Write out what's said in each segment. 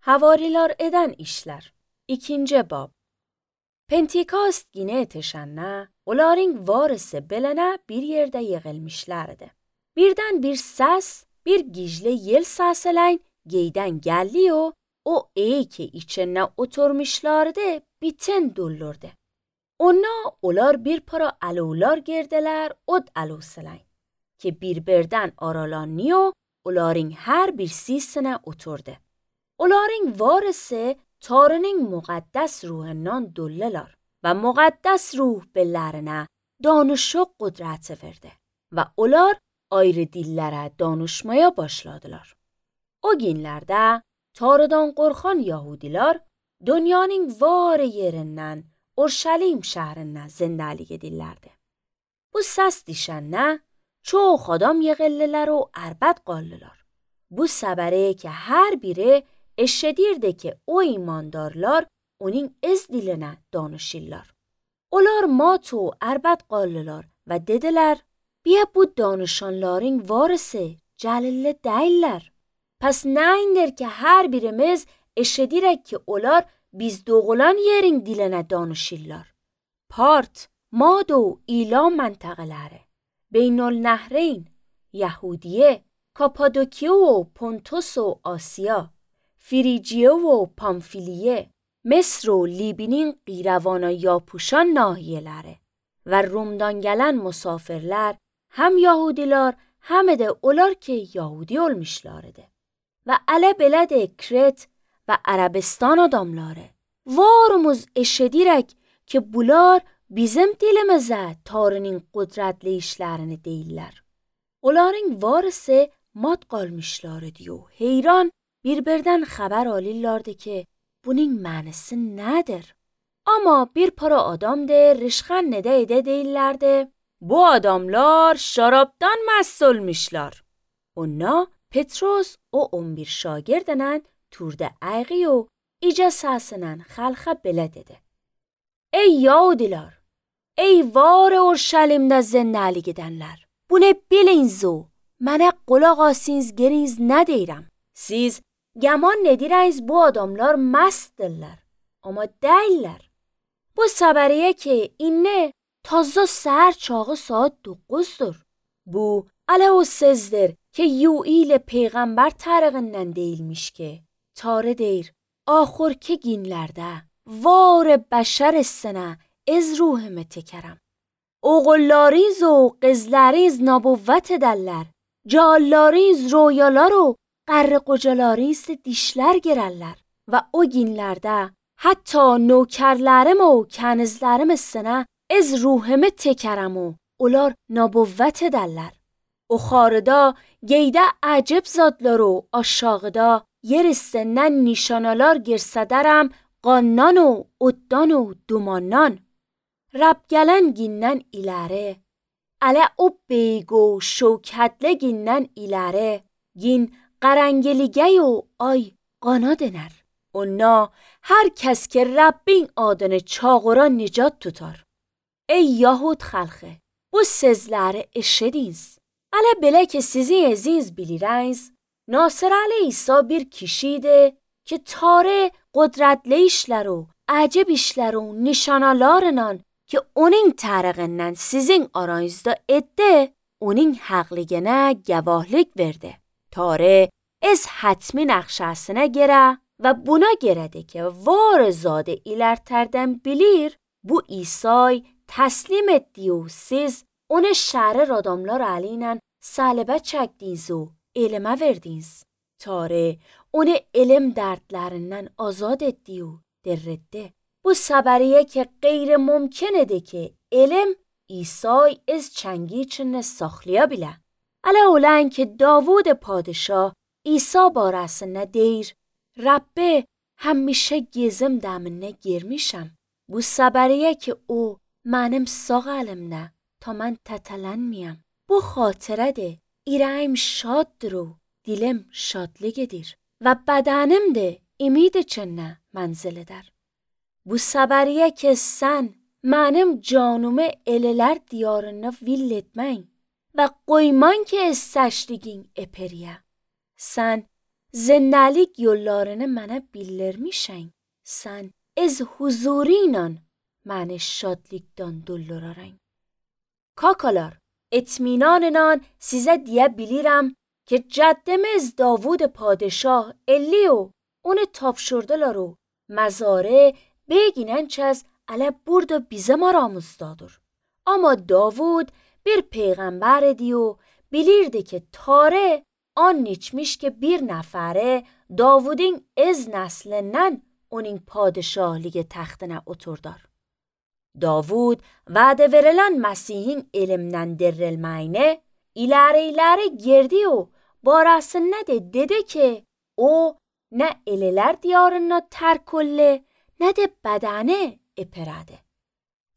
Havariler eden işler. 2. bab. Pentekost günü etişenle, onların varısı belene bir yerde yığılmışlardı. Birden bir ses, bir gizli yel sesleyin geyden geliyor, o ki içine oturmuşlardı, biten doldurdu. Onlar bir para alevler girdiler, od alevsleyin, ki birbirden aralanıyor, onların her birisine oturdu. Onların varısı Tanrı'nın muqaddes ruhundan dolular ve muqaddes ruh bellerine danış ve kudret verdi ve onlar ayrı dillere danışmaya başladılar. O günlerde Tanrı'dan korkan Yahudiler dünyanın var yerinden Urşalim şehrine zindelik edirlerdi. Bu ses dişenne çok adam yığıldılar و اربد qaldılar. Bu sebere ki her biri eşedirdi ki o imandarlar onun ez diline danışırlar. Onlar mat و اربد qaldılar ve dediler, bia bu danışanların varısı celilli değiller. Pes ne indir ki her birimiz eşedirek ki onlar biz doğulan yerin diline danışırlar. Part, Mad و ایلام منطقelere, بین‌النهرین، یهودیه، کاپادوکیه و پونتوس و آسیا، فریجیه و پامفیلیه، مصر و لیبینین قیروان یاپوشان ناhiyeleri ve Rum'dan gelen misafirler hem Yahudiler hem de onlar ki Yahudi olmuşlardı. Ve ele belede Kret ve Arabistan adamları. Varımız eşedirek ki bunlar bizim dilimize Tanrı'nın kudretli işlerini değiller. Onların varısı mat kalmışlardı و heyran birbirden haber alırlardı ki bunun manası nedir? Ama bir para adam de rişkan nede değillerdi. Bu adamlar şaraptan mest olmuşlar. Ona Petros o 11 şagirdenen turda ayği و iyice sesinen halka bele dedi. Ey Yahudiler! Ey var Urşalim'de zindelik edenler! Bunu biliniz و mənə qulaq asınız geriniz nedirəm. Siz gəman nedirəyiz bu adamlar mestdirlər. Ama değiller. Bu səbəriyə ki inne tazda səhər çağı saat 9'dur. Bu ələ o sözdir ki Yuil peygamber tarığından değilmiş ki Tanrı deyir ahirki günlərdə var bəşərisine از ruhumu tekerem. Oğullarınız و qızlarınız nabuvvet ederler. Cağallarınız royalar و qarı qocalarınız dişler girerler. Ve o günlerde hatta nökerlerim و کنizlerim üstüne از ruhumu tekerem و onlar nabuvvet ederler. O xarıda geyde acib zadlar و aşağıda yer üstünden nişanalar girsederem qandan و uddan و dumandan. Rab gelen günden ileri, ale o beygo şevketli günden ileri, gün qarangelige و ay qana döner. Ona her kes ki Rabbin adını çağıra nicat tutar. Ey Yahud xalqı, bu sözleri eşediniz. Ale bile ki sizi aziz biliriz, Nasır Ali İsa bir kişiydi ki Tanrı qudretli işler و acib işler و nişanalarından ki onun tarığından sizin aranızda etti, onun haqligine gevahlik verdi. Tanrı از حتمی نقشه‌سine göre ve buna göre de ki var zade ilerterden bilir, bu İsa'yı teslim etti و siz onu şerir adamlar aleyhine salebe çektiniz و elime verdiniz. Tanrı onu elim dertlerinden azad etti و dirretti. Bu səbəriyə ki qeyri mümkündür ki elm İsa'yı از çəngi içində saxlaya bile. Ələ olan ki Davud padişah İsa barəsində deyir, Rabbi həmişə gezim dəminə girmişəm. Bu səbəriyə ki o mənim sağ əlimdə ta mən tətələnməyəm. Bu xatirədir, ürəyim şaddır و dilim şadlıq edir və bədənim də ümid içində mənzil edər. Bu səbəriyə ki sən mənim canımı elələr diyarına vill etməyin və qoyman ki seçdiğin eperiyə. Sən zennelik yollarını mənə bildirmişsən. Sən ez huzuruyla məni şadlıqdan doldurarsan. Kakalar, اطمیناناً size diyebilirim ki caddemiz Davud padişah Eliyo onu tapşırdılar o mezarı beginençez ale burada bizim aramızdadır. Ama Davud bir peygamber diyor bilirdi ki tare an içmiş ki bir nefere Davud'un ez neslinden onun padişahlığı taxtına oturdar. Davud vədə verilən Məsihin elmdən dirilməyini iləri girdi o barəsində də dedi ki, o nə elilər diyarına tərk oldu, nə də bədəni ipirədi.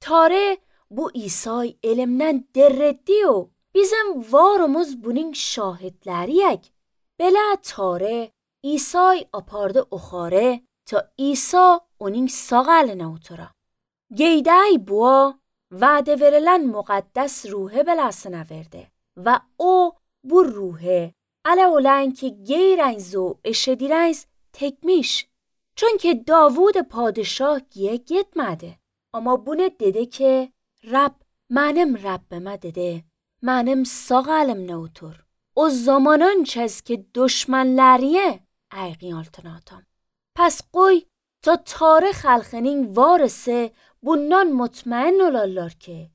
Tarih bu İsa'yı elmdən dirildi o bizim varımız bunun şahidləriyək. Belə tarih İsa'yı apardı oxarı ta İsa onun sağ əlinə otura. Geyday bua vədə verilən müqəddəs ruhe belasına verdi və o bu ruhe ələ olan ki geyrəniz o eşedirəniz tekmiş. Çünkü Davud padişah giye gitmedi. Ama bunu dedi ki Rab mənim Rabbimə dedi mənim sağ əlimlə otur. O zamanın çez ki düşmənləriyə ayğın altına atam. Pes qoy ta tarix xalqının varisi bundan mutmain olarlar ki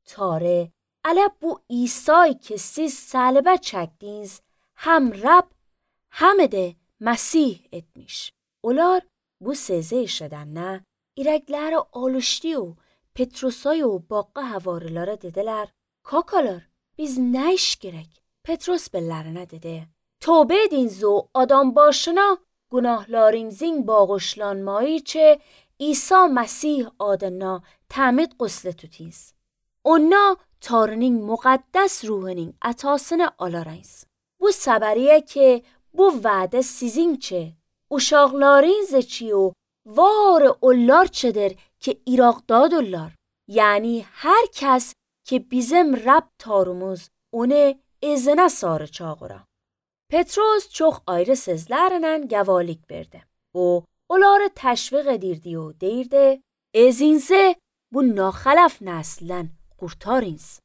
tarih ələ bu İsa'yı ki siz səlibə çəkdiniz hem Rab hem de Məsih etmiş. Onlar bu sözü eşidəndə ürəkləri alışdı o Petrusay o baqa havarilara dediler kakalar biz nə iş gerek? Petrus bellərinə dedi tövbə ediniz o adam başına günahlarınızın bağışlanmayı çe İsa Məsih adına təmid quslu tutiniz. Ona Tanrının müqəddəs ruhunun ətasını alarınız. Bu səbəriyə ki bu vədə sizinçe uşaqlarınız çi o var onlar çedir ki İraqdadırlar. Yani her kəs ki bizim Rab tarımız onu izine sarı çağıra. Petrus çox ayrı sözlərlə gəvalik verdi. O onları təşviq edirdi o deyirdi ezinizə bu naxələf nəslən qurtarınız.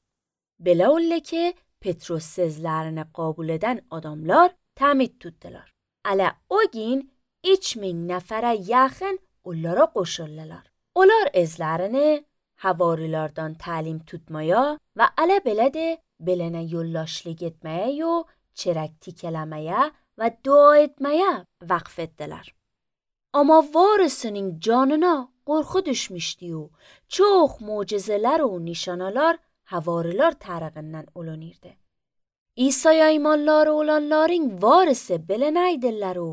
Belə oldu ki Petrus sözlərini qəbul edən adamlar təmid tutdular. Ələ o gün 3000 nəfərə yaxın onlara qoşuldular. Onlar özlərini havarilardan təlim tutmaya və ələ belə də belənə yoldaşlıq etməyə yo çərək tikələməyə və dua etməyə vaqf etdilər. Amma varisinin canına qorxu düşmüşdü o çox mucizelər o nişanalar havarilar tərəfindən olunurdu. İsa'ya imanları olanların varisi belənə idilər o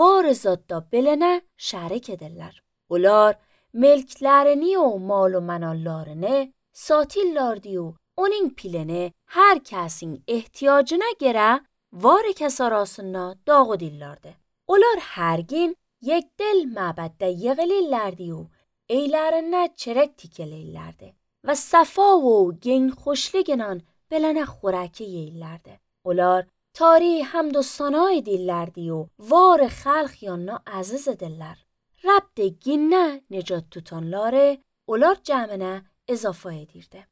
varizatda belənə şərik edirlər. Onlar mülklərini o mal و mənallarını satırlardı o onun pilini her kəsin ehtiyacına görə var kəs arasında dağıdırlardı. Onlar hər gün yekdil məbəddə yığılırlardı o eylərinə çərək tikəlirlərdi və səfa o gen xoşluğuyla belənə xورکی yeyirlərdi. Onlar tarih həmd و ثنا edirlərdi o var xalq yanına əziz edirlər. Rab de ginə necat tutanları onlar cəminə izafə edirdi.